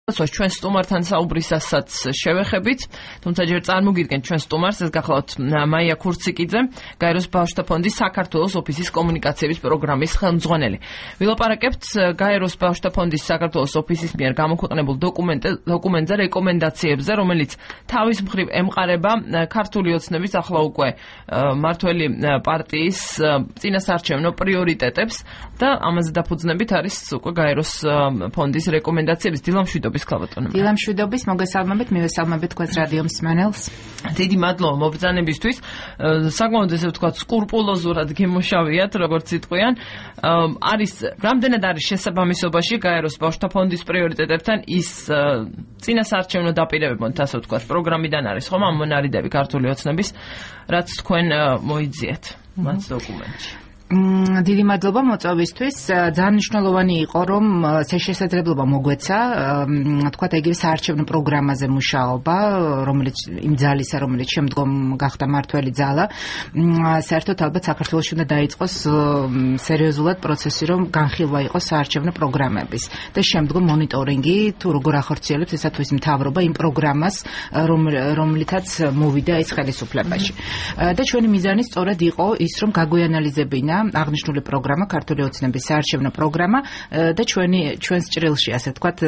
ჩვენ სტუმართან საუბრისასაც შევეხებით, თუმცა ჯერ წარმოგიდგენთ ჩვენ სტუმარს, ეს გახლავთ მაია ქურციკიძე, გაეროს ბავშვთა ფონდის საქართველოს ოფისის კომუნიკაციების პროგრამის ხელმძღვანელი. ვილაპარაკებთ გაეროს ბავშვთა ფონდის საქართველოს ოფისის მიერ გამოქვეყნებულ დოკუმენტზე რეკომენდაციებზე, რომელიც თავის მხრივ ემყარება ქართული ოცნების ახლა უკვე მართველი პარტიის წინასაარჩევნო პრიორიტეტებს და ამაზე დაფუძნებით არის უკვე გაეროს ფონდის რეკომენდაციების დილამშვიდობის მოგესალმებით, მივესალმებით თქვენს რადიო მსმენელს. დიდი მადლობა მობრძანებისთვის. საკმაოდ ესე ვთქვათ, სკრუპულოზურად გემოშავიათ, როგორც იტყვიან. რამდენად არის შესაბამისობაში გაეროს ბავშვთა ფონდის პრიორიტეტებთან ის წინასაარჩევნო დაპირებებთან, ასე ვთქვათ, პროგრამიდან არის ხომ ამ მონარიდები ქართული ოცნების, რაც თქვენ მოიძიეთ მათ დოკუმენტში. დიდი მადლობა მოწვევისთვის. ძალიან მნიშვნელოვანი იყო, რომ შესაძლებლობა მოგვეცა, თქვათ ეგრე საარჩევნო პროგრამაზე მუშაობა, რომელიც იმ ძალისა, რომელიც შემდგომ გახდა მართველი ძალა, საერთოდ ალბათ საქართველოში უნდა დაიწყოს სერიოზულად პროცესი, რომ განხილვა იყოს საარჩევნო პროგრამების და შემდგომ მონიტორინგი, თუ როგორ ახორციელებს ესა თუ ის მთავრობა იმ პროგრამას, რომლითაც მოვიდა ეს ხელისუფლებაში. და ჩვენი მიზანი სწორედ იყო ის, რომ გაგვეანალიზებინა აღნიშნული პროგრამა, ქართული ოცნების საარჩევნო პროგრამა და ჩვენს ჭრილში, ასე ვთქვათ,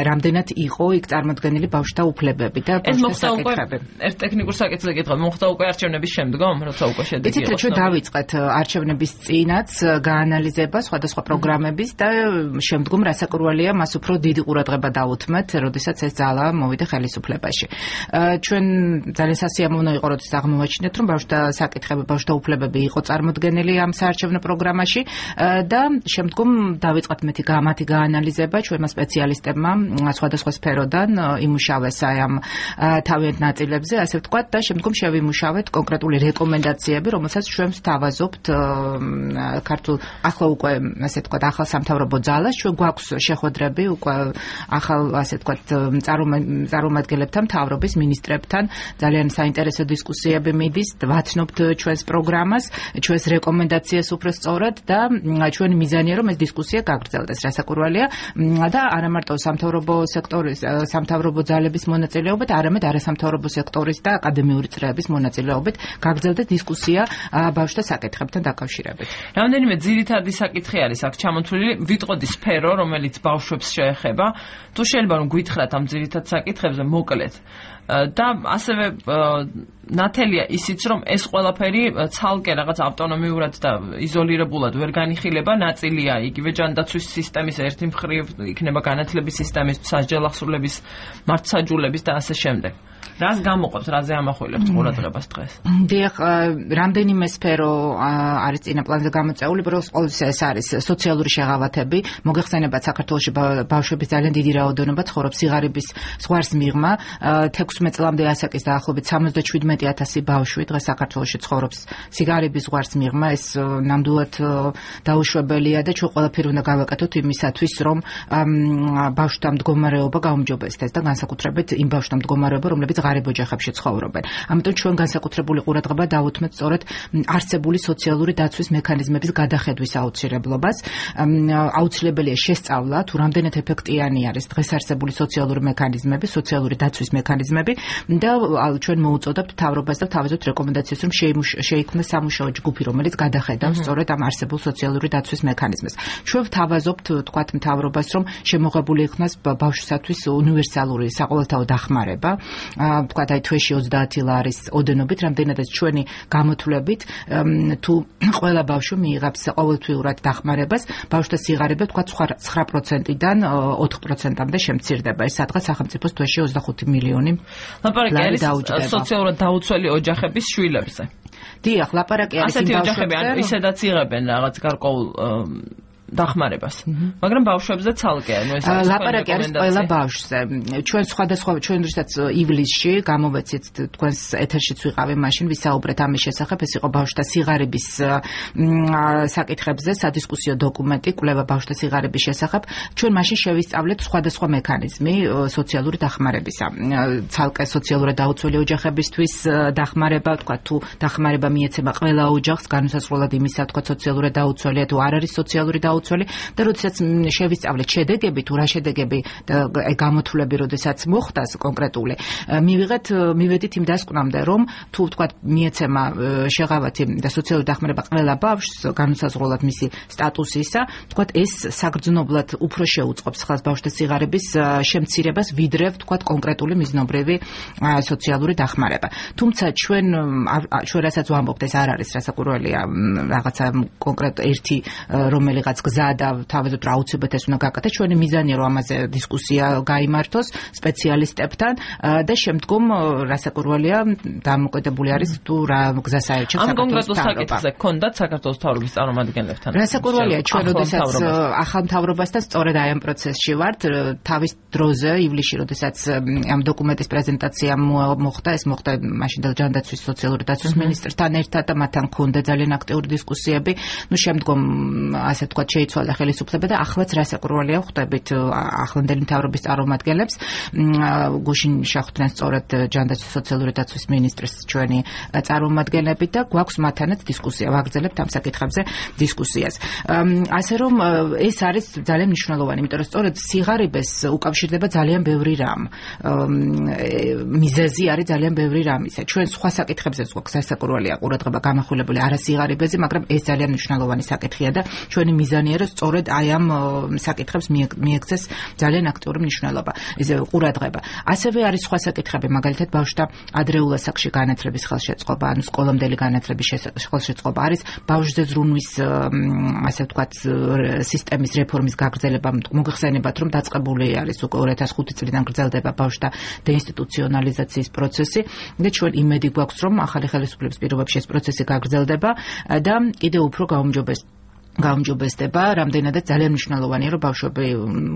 რამდენად იყო იქ წარმოდგენილი ბავშვთა უფლებები და ბავშვთა საკითხები. ერთ ტექნიკურ საკითხზე გითხრა, მოხდა უკვე არჩევნების შემდგომ, როცა უკვე შედეგი იყო. იცით, ჩვენ დავიწყეთ არჩევნების წინაც გაანალიზება სხვადასხვა პროგრამების და შემდგომ რასაკურველია, მას უფრო დიდი ყურადღება დავუთმეთ, როდესაც ეს ძალა მოვიდა ხელისუფლებაში. ჩვენ ძალიან სასიამოვნო იყო, როდესაც აღმოვაჩინეთ, რომ ბავშვთა საკითხები, ბავშვთა უფლებები იყო წარმოდგენილი ამ საარჩევნო პროგრამაში და შემდგომ დავიწყეთ მათი გაანალიზება ჩვენმა სპეციალისტებმა სხვადასხვა სფეროდან იმუშავეს ამ თავიანთ ნაწილებზე, ასე ვთქვათ, და შემდგომ შევიმუშავეთ კონკრეტული რეკომენდაციები, რომელსაც ჩვენ ვთავაზობთ ქართულ ახლა უკვე, ასე ვთქვათ, ახალ სამთავრობო ძალას, ჩვენ გვაქვს შეხვედრები უკვე ახალ, ასე ვთქვათ, წარმომადგენლებთან, მთავრობის მინისტრებთან, ძალიან საინტერესო დისკუსიები მიდის, ვაცნობთ ჩვენს პროგრამას, ჩვენს რეკომენდაციას უფრო სწორად და ჩვენი მიზანია, რომ ეს დისკუსია გაგრძელდეს, რასაკურველია და არა მარტო სამთავრობო ძალების მონაწილეობით, არამედ არასამთავრობო სექტორის და აკადემიური წრეების მონაწილეობით გაგრძელდეს დისკუსია ბავშვთა საკითხებთან დაკავშირებით. რამდენიმე ძირითადი საკითხი არის აქ ჩამოთვლილი, ვიტყოდი სფერო, რომელიც ბავშვებს შეეხება, თუ შეიძლება რომ გითხრათ ამ ძირითად საკითხებზე მოკლედ. და ასევე ნათელია ისიც, რომ ეს ყველაფერი ცალკე რაღაც ავტონომიურად და იზოლირებულად ვერ განიხილება, ნაწილია იგივე ჯანდაცვის სისტემის ერთი მხრივ, იქნება განათლების სისტემის, სასჯელახსრულების, მართლმსაჯულების და ასე შემდეგ. რას გამოყოფთ, რაზე ამახვილებთ ყურადღებას დღეს? დიახ, რამდენიმე სფერო არის წინა პლანზე გამოწეული, ყოველთვის ეს არის სოციალური შეღავათები. მოგეხსენებათ, საქართველოში ბავშვების ძალიან დიდი რაოდენობა ცხოვრობს სიღარიბის ზღვარს მიღმა. 16 წლამდე ასაკის დაახლოებით 77,000 ბავშვი დღეს საქართველოში ცხოვრობს სიღარიბის ზღვარს მიღმა. ეს ნამდვილად დაუშვებელია და ჩვენ ყველაფერი უნდა გავაკეთოთ იმისათვის, რომ ბავშვთა მდგომარეობა გაუმჯობესდეს და განსაკუთრებით იმ ბავშვთა მდგომარეობა, რომლებიც ღარიბ ოჯახებში ცხოვრობენ. ამიტომ ჩვენ განსაკუთრებული ყურადღება დავუთმეთ სწორედ არსებული სოციალური დაცვის მექანიზმების გადახედვის აუცილებლობას. აუცილებელია შესწავლა, თუ რამდენად ეფექტიანი არის დღეს არსებული სოციალური მექანიზმები, სოციალური დაცვის მექანიზმები და ჩვენ მოუწოდებთ მთავრობას და თავაზობთ რეკომენდაციას, რომ შეიქმნას სამუშაო ჯგუფი, რომელიც გადახედავს სწორედ ამ არსებულ სოციალური დაცვის მექანიზმებს. ჩვენ ვთავაზობთ, თქვათ, მთავრობას, რომ შემოღებული იქნას ბავშვისათვის უნივერსალური საყოველთაო დახმარება. თქვათ, აი თვეში 30 ლარის ოდენობით, რამდენადაც ჩვენი გამოთვლებით, თუ ყველა ბავშვი მიიღებს ყოველთვიურად დახმარებას, ბავშვთა სიღარიბე, თქვათ, 9%-დან 4%-მდე შემცირდება. ეს სადღაც სახელმწიფოს თვეში 25 მილიონი ლაპარაკი არის სოციალურად დაუცველი ოჯახების შვილებზე. დიახ, ლაპარაკი არის იმ ბავშვებზე. ასეთი ოჯახები ისედაც იღებენ რაღაც გარკვეულ დახმარებას. მაგრამ ბავშვებზე ცალკეა, ეს ლაპარაკი არის ყველა ბავშვზე. ჩვენ როდესაც ივლისში გამოვეცით თქვენს ეთერშიც ვიყავი, მაშინ ვისაუბრეთ ამის შესახებ, ეს იყო ბავშვთა სიღარიბის საკითხებზე სადისკუსიო დოკუმენტი, კვლევა ბავშვთა სიღარიბის შესახებ. ჩვენ მაშინ შევისწავლეთ სხვადასხვა მექანიზმი სოციალური დახმარებისა. ცალკე სოციალურად დაუცველი ოჯახებისთვის დახმარება, თქვა თუ დახმარება მიეცემა ყველა ოჯახს, განსაზღვრულად იმისა, თქვა სოციალურად დაუცველია თუ არ არის სოციალური გაუცველი და როდესაც შევისწავლეთ შედეგები თუ რა შედეგები და გამოთვლები როდესაც მოხდას კონკრეტული მივედით იმ დასკვნამდე რომ თუ ვთქვათ მიეცემა შეღავათი და სოციალური დახმარება ყველა ბავშვს განუსაზღვრელად მისი სტატუსისა ვთქვათ ეს საგრძნობლად უფრო შეუწყობს ხალხს ბავშვთა სიღარიბის შემცირებას ვიდრე ვთქვათ კონკრეტული მიზნობრივი სოციალური დახმარება თუმცა ჩვენ რასაც ვამბობთ ეს არ არის რასაკვირველია რაღაცა კონკრეტ ერთი რომელიღაც გზა და თავისუფლად რა უცებად ეს უნდა გაკეთდეს ჩვენი მიზანია რომ ამაზე დისკუსია გაიმართოს სპეციალისტებთან და შემდგომ რასაკვირველია დამოკიდებული არის თუ რა გზას აერჩევს ამ კონკრეტულ საკითხზე გქონდათ საქართველოს მთავრობის წარმომადგენლებთან რასაკვირველია ჩვენ როდესაც ახალ მთავრობასთან სწორედ აი ამ პროცესში ვართ თავის დროზე ივლისში როდესაც ამ დოკუმენტის პრეზენტაცია მოხდა ეს მოხდა მაშინ ჯანდაცვის სოციალური დაცვის მინისტრთან ერთად და მათთან ჰქონდა ძალიან აქტიური დისკუსიები ნუ შემდგომ ასე ვთქვათ შეიცვალა ხელისუფლება და ახლაც რასაკვირველია ხვდებით ახლანდელი მთავრობის წარმომადგენლებს გუშინ შეხვდნენ სწორედ ჯანდაცვის სოციალური დაცვის მინისტრის ჩვენი წარმომადგენლები და გვაქვს მათთანაც დისკუსია ვაგრძელებთ ამ საკითხებზე დისკუსიას ასე რომ ეს არის ძალიან მნიშვნელოვანი იმიტომ რომ სწორედ სიღარიბეს უკავშირდება ძალიან ბევრი რამ მიზეზი არის ძალიან ბევრი რამისა ჩვენ სხვა საკითხებზეც გვაქვს სასაკურველია ყურადღება გამახვილებული არასიღარიბეზე მაგრამ ეს ძალიან მნიშვნელოვანი საკითხია და ჩვენი მიზანია რომ სწორედ აი ამ საკითხებს მიექცეს ძალიან აქტიური მნიშვნელობა ეს ყურადღება ასევე არის სხვა საკითხები მაგალითად ბავშვთა ადრეულ ასაკში განათლების ხელშეწყობა ანუ სკოლამდელი განათლების ხელშეწყობა არის ბავშვზე ზრუნვის ასე ვთქვათ სისტემის რეფორმის გაგრძელება მოგეხსენებათ რომ დაწყებული არის უკვე 2005 წლიდან გრძელდება ბავშვთა დეინსტიტუციონალიზაციის პროცესი და ჩვენ იმედი გვაქვს რომ ახალი ხელისუფლების პირობებში ეს პროცესი გაგრძელდება და კიდევ უფრო გაუმჯობესდება, რამდენადაც ძალიან მნიშვნელოვანია, რომ ბავშვები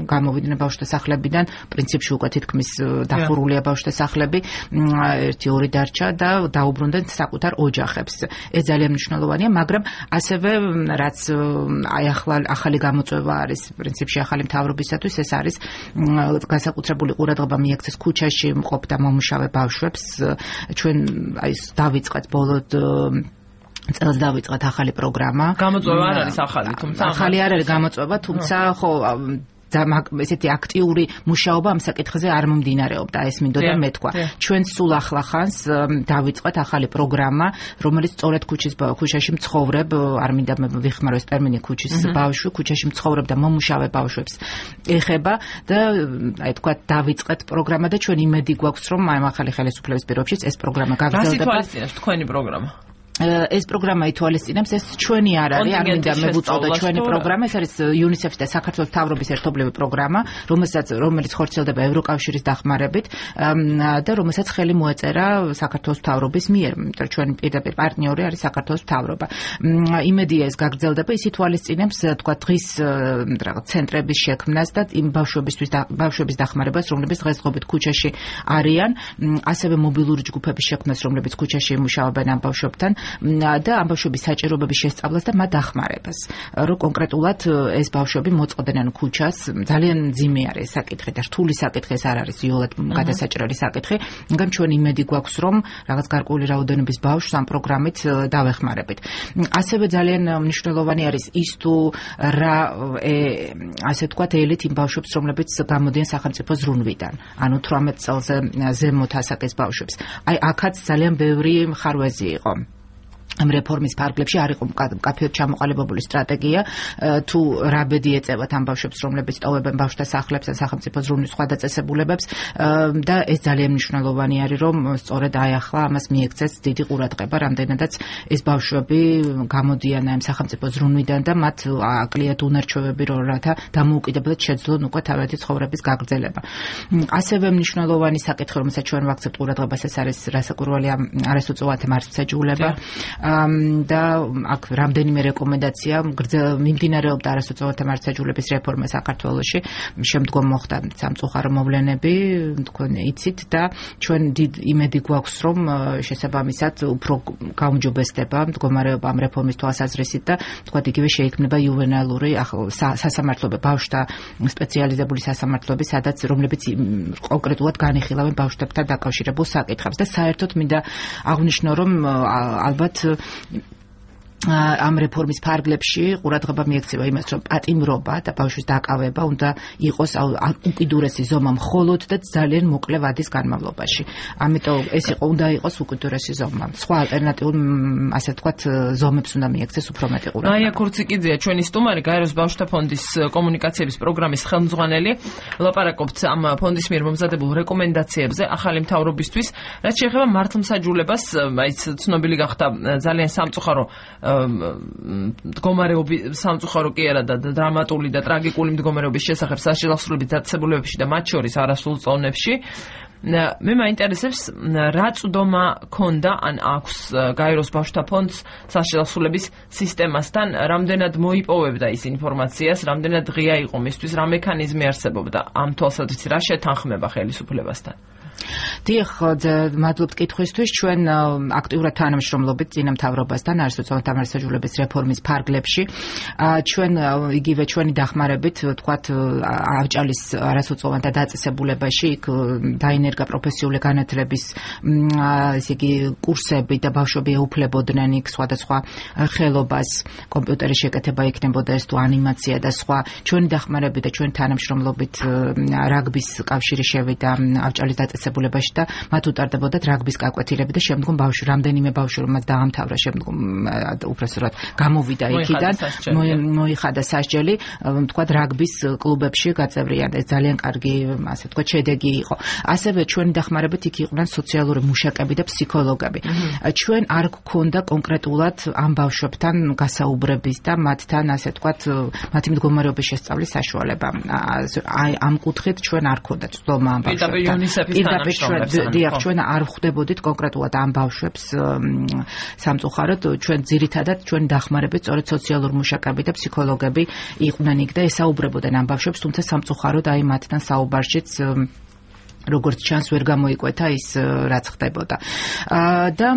გამოვიდნენ ბავშვთა სახლებიდან, პრინციპში უკვე თითქმის დახურულია ბავშვთა სახლები, 1-2 დარჩა და დაუბრუნდნენ საკუთარ ოჯახებს. ეს ძალიან მნიშვნელოვანია, მაგრამ ასევე რაც აი ახალი გამოწვევა არის, პრინციპში ახალი მთავრობისათვის, ეს არის განსაკუთრებული ყურადღება მიექცეს ქუჩაში მყოფ და მომუშავე ბავშვებს. ჩვენ აი დავიწყეთ ბოლოდ წელს დავიწყეთ ახალი პროგრამა. გამოწვევა არ არის ახალი, თუმცა ახალი არ არის გამოწვევა, თუმცა ხო ესეთი აქტიური მუშაობა ამ საკითხზე არ მომდინარეობდა, ეს მინდოდა მეთქვა. ჩვენ სულ ახლახანს დავიწყეთ ახალი პროგრამა, რომელიც სწორედ ქუჩაში მცხოვრებ, არ მინდა ვიხმარო ეს ტერმინი ქუჩის ბავშვი, ქუჩაში მცხოვრებ და მომუშავე ბავშვებს ეხება და აი თქვა დავიწყეთ პროგრამა და ჩვენ იმედი გვაქვს, რომ ამ ახალი ხელისუფლების პირობებში ეს პროგრამა გაგრძელდება. რა სიტუაციაში თქვენი პროგრამა? ეს პროგრამა ითვალისწინებს ეს ჩვენი არ არის არ მინდა მევუწოდო ჩვენი პროგრამა ეს არის UNICEF-ის და საქართველოს მთავრობის ერთობლივი პროგრამა რომელიც ხორციელდება ევროკავშირის დახმარებით და რომელსაც ხელი მოეწერა საქართველოს მთავრობის მიერ იმიტომ ჩვენი პირდაპირ პარტნიორი არის საქართველოს მთავრობა იმედია ეს გაგრძელდება ის ითვალისწინებს თქვა დღის რაღაც ცენტრების შექმნას და იმ ბავშვების დახმარებას რომლებიც დღესდღეობით ქუჩაში არიან ასევე მობილური ჯგუფების შექმნას რომლებიც ქუჩაში იმუშავებენ ამ ბავშვებთან და ამ ბავშვების საჭიროებების შესწავლას და მათ დახმარებას. რომ კონკრეტულად ეს ბავშვები მოწყდნენ ქუჩას, ძალიან მძიმე არის საკითხი და რთული საკითხი ეს არ არის იოლად გადასაჭრელი საკითხი, მაგრამ ჩვენ იმედი გვაქვს, რომ რაღაც გარკვეული რაოდენობის ბავშვს ამ პროგრამით დავეხმარებით. ასევე ძალიან მნიშვნელოვანი არის ის თუ რა ასე ვთქვათ ელით იმ ბავშვებს, რომლებიც გამოდიან სახელმწიფო ზრუნვიდან, ანუ 18 წელზე ზემოთ ასაკის ბავშვებს. აი აქაც ძალიან ბევრი მხარვეზი იყო. ამ რეფორმის ფარგლებში არ იყო კაფეოდ ჩამოყალიბებული სტრატეგია თუ რა ბედი ეწევათ ამ ბავშვებს რომლებიც ტოვებენ ბავშვთა სახლებს ან სახელმწიფო ზრუნვის სხვა დაწესებულებებს და ეს ძალიან მნიშვნელოვანი არის რომ სწორედ აი ახლა ამას მიექცეს დიდი ყურადღება რამდენადაც ეს ბავშვები გამოდიან ამ სახელმწიფო ზრუნვიდან და მათ აკლიათ უნარჩვევები რომ რათა დამოუკიდებლად შეძლონ უკვე თავიანთი ცხოვრების გაგრძელება. ასევე მნიშვნელოვანი საკითხი რომელსაც ჩვენ ვაქცევთ ყურადღებას ეს არის რასაკვირველია არასოციალურთა მართლმსაჯულება და აქ რამდენიმე რეკომენდაცია მიმდინარეობდა არასოციალურთა მართლმსაჯულების რეფორმა საქართველოში შემდგომ მოხდა სამწუხარო მოვლენები თქვენ იცით და ჩვენ დიდ იმედი გვაქვს რომ შესაბამისად უფრო გაუმჯობესდება მდგომარეობა ამ რეფორმის თვალსაზრისით და თქვათ იგივე შეიქმნება იუვენალური სასამართლოები ბავშვთა სპეციალიზებული სასამართლოები სადაც რომლებიც კონკრეტულად განიხილავენ ბავშვებთან დაკავშირებულ საკითხებს და საერთოდ მინდა აღვნიშნო რომ ალბათ ამ რეფორმის ფარგლებში ყურადღება მიექცევა იმას, რომ პატიმრობა და ბავშვის დაკავება უნდა იყოს უკიდურესი ზომა მხოლოდ და ძალიან მოკლე ვადის განმავლობაში. ამიტომ ეს უნდა იყოს უკიდურესი ზომა. სხვა ალტერნატიულ, ასე ვთქვათ, ზომებს უნდა მიექცეს უფრო მეტი ყურადღება. მაია ქურციკიძეა ჩვენი სტუმარი, გაეროს ბავშვთა ფონდის კომუნიკაციების პროგრამის ხელმძღვანელი. ვლაპარაკობთ ამ ფონდის მიერ მომზადებულ რეკომენდაციებზე ახალი მთავრობისთვის, რაც შეეხება მართლმსაჯულებას, აი ცნობილი გახდა ძალიან სამწუხარო მდგომარეობის სამწუხარო კი არა და დრამატული და ტრაგიკული მდგომარეობის შესახებ საშილახსოვრების დაწესებულებებში და მათ შორის არასრულ წოვნებში. მე მაინტერესებს რა წვდომა ქონდა ან აქვს გაეროს ბავშვთა ფონდს საშილახსოვრების სისტემასთან, რამდენად მოიპოვებდა ის ინფორმაციას, რამდენად ღია იყო მისთვის, რა მექანიზმი არსებობდა ამ თვალსაზრისით, რა შეთანხმება ხელისუფლებასთან. დიახ, მადლობთ კითხვისთვის. ჩვენ აქტიურად თანამშრომლობით წინა მთავრობასთან არასოციალურ დამარცხებულების რეფორმის ფარგლებში. ჩვენ იგივე ჩვენი დახმარებით, ვთქვათ, ავჭალის არასოციალურ დაწესებულებაში დაინერგა პროფესიული განათლების ესე იგი კურსები და ბავშვები ეუფლებოდნენ იქ სხვადასხვა ხელობას, კომპიუტერის შეკეთება იქნებოდა ეს თუ ანიმაცია და სხვა. ჩვენი დახმარებით და ჩვენი თანამშრომლობით რაგბის კავშირი შევიდა ავჭალის დაწესებულებაში და მათ უტარდებოდათ რაგბის გაკვეთილები და შემდგომ რამდენიმე ბავშვი რომელსაც დაამთავრა შემდგომ უბრალოდ გამოვიდა იქიდან, მოიხადა სასჯელი, ვთქვათ, რაგბის კლუბებში გაწევრიანდა. ეს ძალიან კარგი, ასე ვთქვათ, შედეგი იყო. ასევე ჩვენი დახმარებით იქ იყვნენ სოციალური მუშაკები და ფსიქოლოგები. ჩვენ არ გქონდა კონკრეტულად ამ ბავშვებთან გასაუბრების და მათთან, ასე ვთქვათ, მათი მდგომარეობის შესწავლის საშუალება. აი ამ კუთხით ჩვენ არ გქონდა წვდომა ამ ბავშვებთან. ჩვენ არ ხვდებოდით კონკრეტულად ამ ბავშვებს სამწუხაროდ, ჩვენ ძირითადად ჩვენი დახმარებით სწორედ სოციალურ მუშაკები და ფსიქოლოგები იყვნენ იქ და ესაუბრებოდნენ ამ ბავშვებს, თუმცა სამწუხაროდ აი მათთან საუბარშიც როგორც ჩანს ვერ გამოიკვეთა ის რაც ხდებოდა. და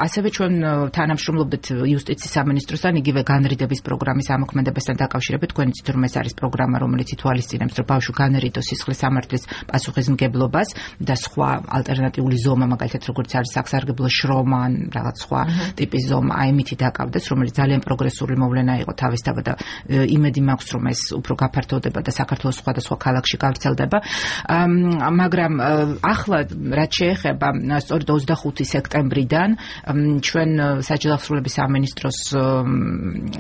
ასევე ჩვენ თანამშრომლობდით იუსტიციის სამინისტროსთან იგივე განრიდების პროგრამის ამოქმედებასთან დაკავშირებით. თქვენ იცით რომ ეს არის პროგრამა, რომელიც ითვალისწინებს რომ ბავშვი განრიდოს სისხლის სამართლის პასუხისმგებლობას და სხვა ალტერნატიული ზომა, მაგალითად როგორც არის სასარგებლო შრომა ან რაღაც სხვა ტიპის ზომა, აი მითი დაკავდეს, რომელიც ძალიან პროგრესული მოვლენა იყო თავისთავად და იმედი მაქვს რომ ეს უფრო გაფართოვდება და საქართველოს სხვადასხვა ქალაქში გავრცელდება. მაგრამ ახლა რაც შეეხება სწორედ 25 სექტემბრიდან ჩვენ საჯელახსოვრების სამინისტროს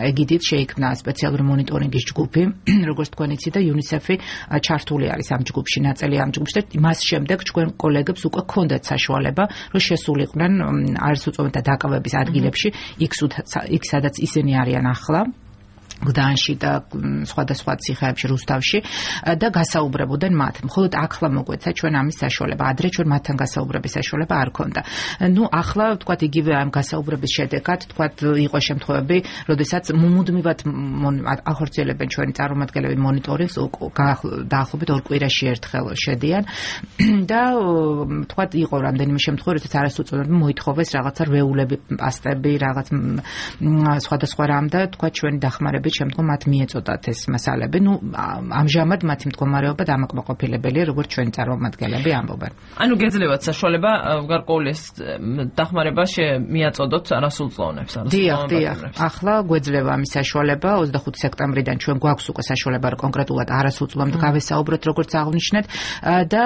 ეგიდით შეიქმნა სპეციალური მონიტორინგის ჯგუფი, როგორც თქვენ იცით და UNICEF-ი ჩართული არის ამ ჯგუფში, ნაწილი ამ ჯგუფში და მას შემდეგ ჩვენ კოლეგებს უკვე ჰქონდათ საშუალება, რომ შესულიყვნენ არასოციალურთა დაკავების ადგილებში, იქ სადაც ისინი არიან ახლა. გდანში და სხვადასხვა ციხეებში, რუსთავში და გასაუბრებოდნენ მათ. მხოლოდ ახლა მოგვეცა ჩვენ ამის საშუალება. ადრე ჩვენ მათთან გასაუბრების საშუალება არ ჰქონდა. ახლა ვთქვათ იგივე ამ გასაუბრების შედეგად, ვთქვათ, იყო შემთხვევები, როდესაც მუდმივად ახორციელებენ ჩვენი წარმომადგენლები მონიტორინგს, დაახლოებით 2 კვირაში ერთხელ შედიან და ვთქვათ, იყო რამდენიმე შემთხვევა, როდესაც არასოციალურები მოითხოვეს რაღაცა რვეულები, პასტები, რაღაც სხვადასხვა რამ და ვთქვათ, ჩვენი დახმარებით შემდგომ მათ მიეწოდათ ეს მასალები. ამჟამად მათი მდგომარეობა დამაკმაყოფილებელია, როგორც ჩვენი წარმომადგენლები ამბობენ. ანუ გეძლევათ საშუალება გარკვეული დახმარება მიაწოდოთ არასრულწლოვნებს. დიახ. ახლა გვეძლევა ამის საშუალება 25 სექტემბრიდან ჩვენ გვაქვს უკვე საშუალება კონკრეტულად არასრულწლოვნებს გავესაუბროთ, როგორც აღნიშნეთ და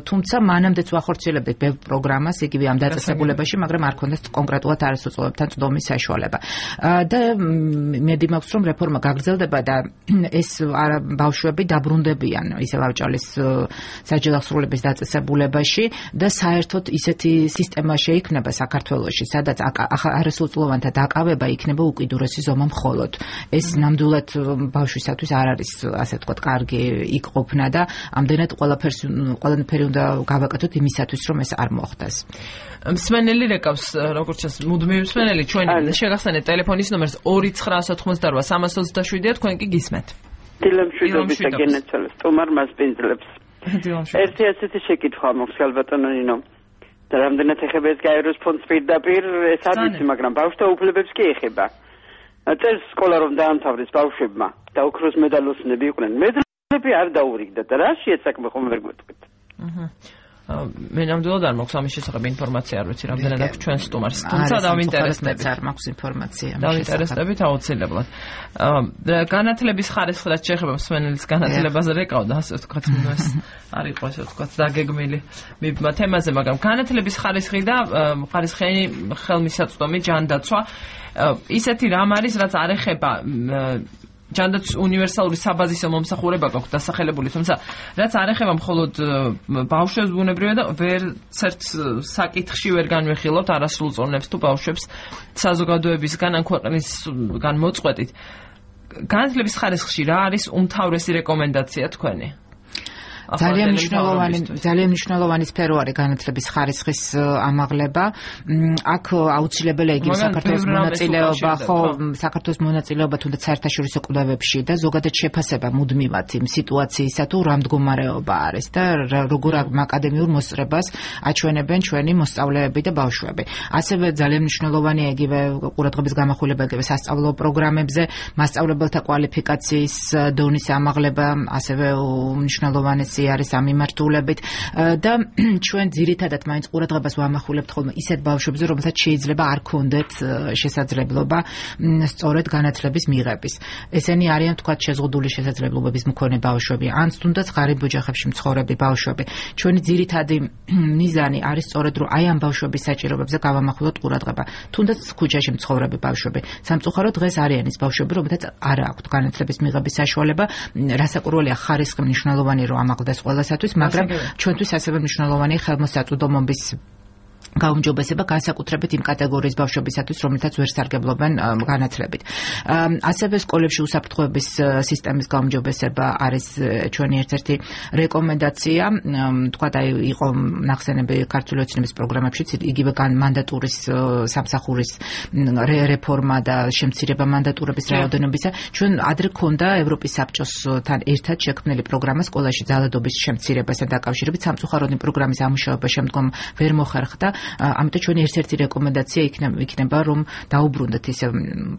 თუმცა მანამდეც ვახორციელებდით ბევრ პროგრამას იგივე ამ დაწესებულებაში, მაგრამ არ ქონდათ კონკრეტულად არასრულწლოვნებთან წვდომის საშუალება. და მედი მაქვს რომ რეფორმა გაგრძელდება და ეს ბავშვები დაბრუნდებიან ისევ ავჭალის საჯელახსოვრების დაწესებულებაში და საერთოდ ისეთი სისტემა შეიქმნება საქართველოში, სადაც არასრულწლოვანთა დაკავება იქნება უკიდურესი ზომა მხოლოდ. ეს ნამდვილად ბავშვისათვის არ არის, ასე ვთქვათ, კარგი იქ ყოფნა და ამდენად ყველაფერი უნდა გავაკეთოთ იმისათვის, რომ ეს არ მოხდეს. მსმენელი რეკავს, როგორც ჩანს, მუდმივი მსმენელი ჩვენი შეგახსენეთ ტელეფონის ნომერს 2988327-ია, თქვენ კი გისმენთ. დილამშვიდობის და გენაცვალეს სტუმარ მასპინძლებს. ერთი ასეთი შეკითხვა მაქვს ალბათონო ნინო. და რამდენად ეხება ეს გაეროს ფონდს პირდაპირ, ეს არ ვიცი, მაგრამ ბავშვთა უფლებებს კი ეხება. წელს სკოლა რომ დაამთავრეს ბავშვებმა და ოქროს მედალოსნები იყვნენ, მედლები არ დაურიგდათ და რა შეეცაკმე ხომ ვერ გვეტყვით. მე ნამდვილად არ მაქვს ამის შესახებ ინფორმაცია, არ ვიცი, რამდენად აქვს ჩვენ სტუმარს. თუმცა დავინტერესდებით. არ მაქვს ინფორმაცია. დავინტერესდებით აუცილებლად. განათლების ხარისხი რაც შეეხება მსმენელის განათლებაზე რეკავდა, ასე ვთქვათ, ეს არ იყო ასე ვთქვათ, დაგეგმილი თემაზე, მაგრამ განათლების ხარისხი და ხარისხიანი ხელმისაწვდომი ჯანდაცვა ისეთი რამ არის, რაც არ ეხება ჯანდაცვის უნივერსალური საბაზისო მომსახურება გაქვს დასახელებული, თუმცა რაც არ ეხება მხოლოდ ბავშვებს ბუნებრივია და ვერცერთ საკითხში ვერ განვიხილავთ არასრულ წონებს თუ ბავშვებს საზოგადოებისგან ან ქვეყნისგან მოწყვეტით. განათლების ხარისხში რა არის უმთავრესი რეკომენდაცია თქვენი? ძალიან მნიშვნელოვანი სფერო არის განათლების ხარისხის ამაღლება. აქ აუცილებელია იგივე საქართველოს მონაწილეობა, საქართველოს მონაწილეობა თუნდაც საერთაშორისო კვლევებში და ზოგადად შეფასება მუდმივად იმ სიტუაციისა თუ რა მდგომარეობა არის და როგორ აკადემიურ მოსწრებას აჩვენებენ ჩვენი მოსწავლეები და ბავშვები. ასევე ძალიან მნიშვნელოვანია იგივე ყურადღების გამახვილება იგივე სასწავლო პროგრამებზე, მასწავლებელთა კვალიფიკაციის დონის ამაღლება, ასევე მნიშვნელოვანია არის ამ მიმართულებით და ჩვენ ძირითადად მაინც ყურადღებას ვამახვილებთ ხოლმე ისეთ ბავშვებზე, რომელთაც შეიძლება არ ქონდეთ შესაძლებლობა სწორედ განათლების მიღების. ესენი არიან თქვათ შეზღუდული შესაძლებლობების მქონე ბავშვები, ან თუნდაც ღარიბ ოჯახებში მცხოვრები ბავშვები. ჩვენი ძირითადი მიზანი არის სწორედ რომ აი ამ ბავშვების საჭიროებებზე გავამახვილოთ ყურადღება. თუნდაც ქუჩაში მცხოვრები ბავშვები. სამწუხაროდ დღეს არიან ის ბავშვები, რომელთაც არ აქვთ განათლების მიღების საშუალება, რასაკვირველია ხარისხი მნიშვნელოვანი რომ ამაღლდეს ყველასათვის, მაგრამ ჩვენთვის ასევე მნიშვნელოვანია ხელმოსაწვდომობის გაუმჯობესება განსაკუთრებით იმ კატეგორიის ბავშვებისათვის, რომელთაც ვერ სარგებლობენ განათლებით. ასევე სკოლებში უსაფრთხოების სისტემის გაუმჯობესება არის ჩვენი ერთ-ერთი რეკომენდაცია. თქვათ, აი იყო ნახსენები ქართული ოცნების პროგრამებშიც იგივე მანდატურის სამსახურის რეფორმა და შემცირება მანდატურების რაოდენობისა. ჩვენ ადრე ქონდა ევროპის საბჭოსთან ერთად შექმნილი პროგრამა სკოლაში ძალადობის შემცირებასთან დაკავშირებით. სამწუხაროდ იმ პროგრამის ამუშავება შემდგომ ვერ მოხერხდა. ამიტომ ჩვენი ერთ-ერთი რეკომენდაცია იქნება რომ დაუბრუნდეთ ის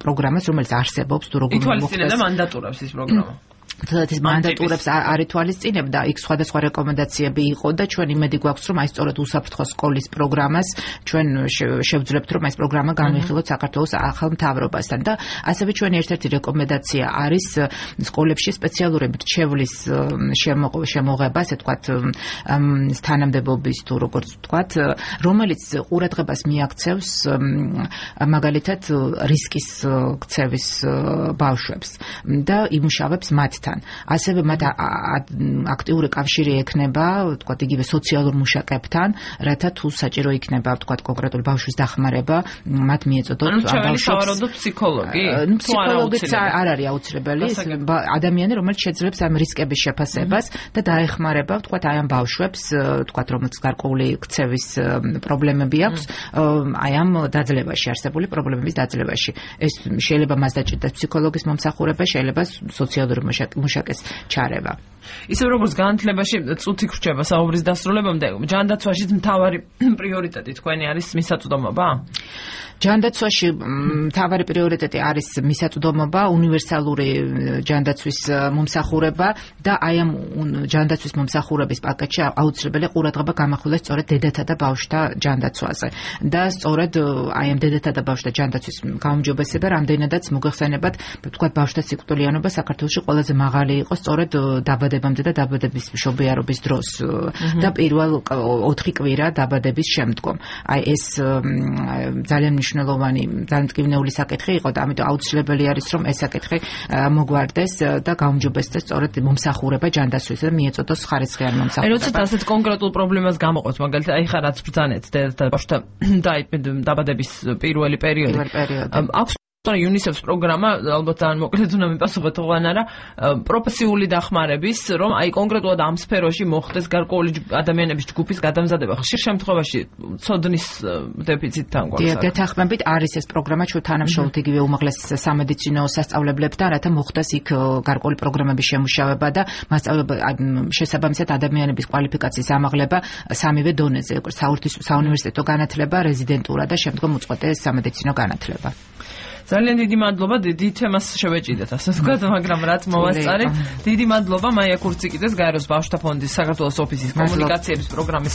პროგრამას, რომელიც არსებობს თუ როგორ ითვალისწინებდა მანდატურებს ის პროგრამა. თუმცა ის მანდატურებს არ ითვალისწინებდა, იქ სხვადასხვა რეკომენდაციები იყო და ჩვენ იმედი გვაქვს რომ აი სწორედ უსაფრთხო სკოლის პროგრამას ჩვენ შევძლებთ რომ ეს პროგრამა განვიხილოთ საქართველოს ახალ მთავრობასთან და ასევე ჩვენი ერთ-ერთი რეკომენდაცია არის სკოლებში სპეციალური მრჩევლის შემოღება, ასე ვთქვათ, თანამდებობის თუ როგორც ვთქვათ, რომელიც ყურადღებას მიაქცევს მაგალითად რისკის ქცევის ბავშვებს და იმუშავებს მათთან. ასევე მათ აქტიური კავშირი ექნება, ვთქვათ, იგივე სოციალურ მუშაკებთან, რათა თუ საჭირო იქნება, ვთქვათ, კონკრეტული ბავშვის დახმარება, მათ მიეწოდოთ ბავშვებს ფსიქოლოგი. ფსიქოლოგიც არ არის აუცილებელი, ადამიანი, რომელიც შეძლებს ამ რისკების შეფასებას და დაეხმარება, ვთქვათ, აი ამ ბავშვებს, ვთქვათ, რომელց გარკვეული ქცევის პრობლემები აქვს, აი ამ დაძლევაში, არსებული პრობლემების დაძლევაში. ეს შეიძლება მას დაჭირდეს ფსიქოლოგის მომსახურება, შეიძლება სოციალური მუშაკის ჩარევა. ისე როგორც განათლებაში წუთი ხრჩება საუბრის დასრულებამდე, ჯანდაცვაშიც მთავარი პრიორიტეტი თქვენი არის მისაწვდომობა? ჯანდაცვაში მთავარი პრიორიტეტი არის მისაწვდომობა, უნივერსალური ჯანდაცვის მომსახურება და აი ამ ჯანდაცვის მომსახურების პაკეტში აუცილებელია ყურადღება გამახვილოს სწორედ დედათა და ბავშვთა ჯანდაცვაზე. და სწორედ აი ამ დედათა და ბავშვთა ჯანდაცვის გაუმჯობესება რამდენადაც მოგეხსენებათ, ვთქვათ, ბავშვთა სიკვდილიანობა საქართველოში ყველაზე მაღალი იყო სწორედ დაბადებამდე და დაბადების მშობიარობის დროს და პირველ 4 კვირა დაბადების შემდგომ. აი ეს ძალიან მნიშვნელოვანი, ძალიან მტკივნეული საკითხი იყო და ამიტომ აუცილებელი არის რომ ეს საკითხი მოგვარდეს და გაუმჯობესდეს სწორედ მომსახურება ჯანდაცვის და მიეწოდოს ხარისხიანი მომსახურება. როდესაც ასეთ კონკრეტულ პრობლემას გამოყოთ, მაგალითად, აი ხა რაც ბრძანეთ და ბავშვთა დაბადების პირველი პერიოდი. აქვს UNICEF-ს პროგრამა, ალბათ ძალიან მოკლედ უნდა მიპასუხოთ ოღონდ არა, პროფესიული დახმარების, რომ აი კონკრეტულად ამ სფეროში მოხდეს გარკვეული ადამიანების ჯგუფის გადამზადება. ხშირ შემთხვევაში ცოდნის დეფიციტთან გვაქვს. გეთანხმებით არის ეს პროგრამა ჩვენ თანამშრომლობთ იგივე უმაღლეს სამედიცინო სასწავლებლებთან, რათა მოხდეს იქ გარკვეული პროგრამების შემუშავება და შესაბამისად ადამიანების კვალიფიკაციის ამაღლება სამივე დონეზე, საუნივერსიტეტო განათლება, რეზიდენტურა და შემდგომ უწყვეტ სამედიცინო განათლება. ძალიან დიდი მადლობა, დიდი თემას შევეჭიდეთ, ასე ვთქვათ, მაგრამ რაც მოვასწარეთ. დიდი მადლობა მაია ქურციკიძეს, გაეროს ბავშვთა ფონდის საქართველოს ოფისის კომუნიკაციების პროგრამის